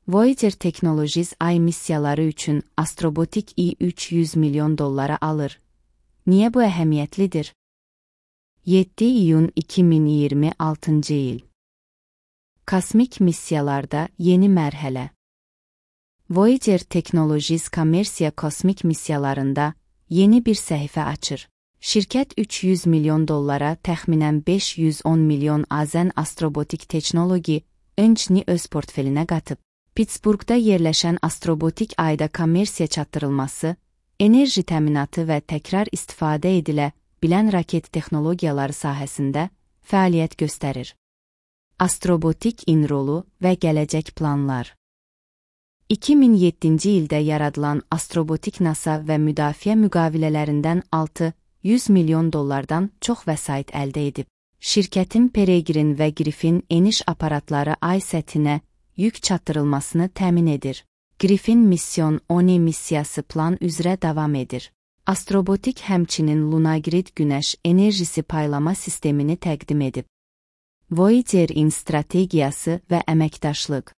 Voyager Technologies ay missiyaları üçün Astrobotic $300 milyon alır. Niyə bu əhəmiyyətlidir? 7 iyun 2026 il. Kosmik missiyalarda yeni mərhələ. Voyager Technologies kommersiya kosmik missiyalarında yeni bir səhifə açır. Şirkət $300 milyon təxminən 510 milyon AZN Astrobotic Technology öncini öz portfelinə qatıb. Pittsburghda yerləşən Astrobotic ayda kommersiya çatdırılması, enerji təminatı və təkrar istifadə edilə bilən raket texnologiyaları sahəsində fəaliyyət göstərir. Astrobotic rolu və gələcək planlar. 2007-ci ildə yaradılan Astrobotic NASA və müdafiə müqavilələrindən $600 milyon çox vəsait əldə edib. Şirkətin Peregrine və Griffin eniş aparatları ay səthinə yük çatdırılmasını təmin edir. Griffin Mission 10 missiyası plan üzrə davam edir. Astrobotic həmçinin Lunagrid günəş enerjisi paylama sistemini təqdim edib. Voyager-in strategiyası və əməkdaşlıq.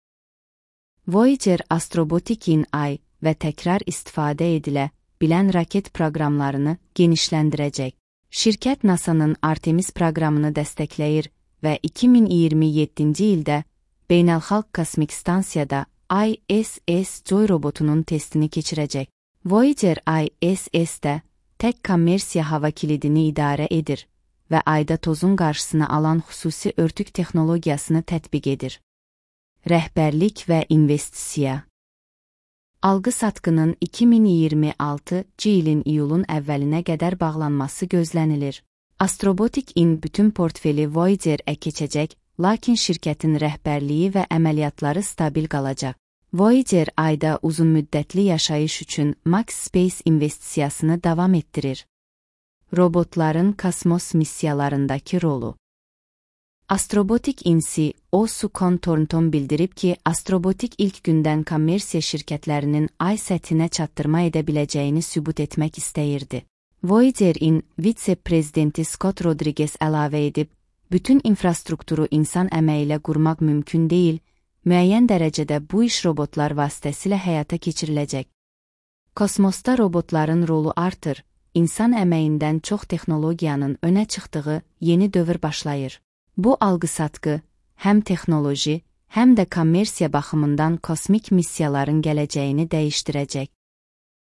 Voyager Astrobotic-in ay və təkrar istifadə edilə bilən raket proqramlarını genişləndirəcək. Şirkət NASA-nın Artemis proqramını dəstəkləyir və 2027-ci ildə Beynəlxalq Kosmik Stansiyada ISS Joy robotunun testini keçirəcək. Voyager ISS-də tək kommersiya hava kilidini idarə edir və ayda tozun qarşısını alan xüsusi örtük texnologiyasını tətbiq edir. Rəhbərlik və investisiya. Alqı-satqının 2026-cı ilin iyulun əvvəlinə qədər bağlanması gözlənilir. Astrobotic-in bütün portfeli Voyager-ə keçəcək, lakin şirkətin rəhbərliyi və əməliyyatları stabil qalacaq. Voyager ayda uzunmüddətli yaşayış üçün Max Space investisiyasını davam etdirir. Robotların kosmos missiyalarındakı rolu. Astrobotic CEO Sukon Thornton bildirib ki, Astrobotic ilk gündən kommersiya şirkətlərinin ay səthinə çatdırma edə biləcəyini sübut etmək istəyirdi. Voyager-in vitse-prezidenti Scott Rodriguez əlavə edib, bütün infrastrukturu insan əməyi ilə qurmaq mümkün deyil, müəyyən dərəcədə bu iş robotlar vasitəsilə həyata keçiriləcək. Kosmosda robotların rolu artır, insan əməyindən çox texnologiyanın önə çıxdığı yeni dövr başlayır. Bu alqı-satqı, həm texnoloji, həm də kommersiya baxımından kosmik missiyaların gələcəyini dəyişdirəcək.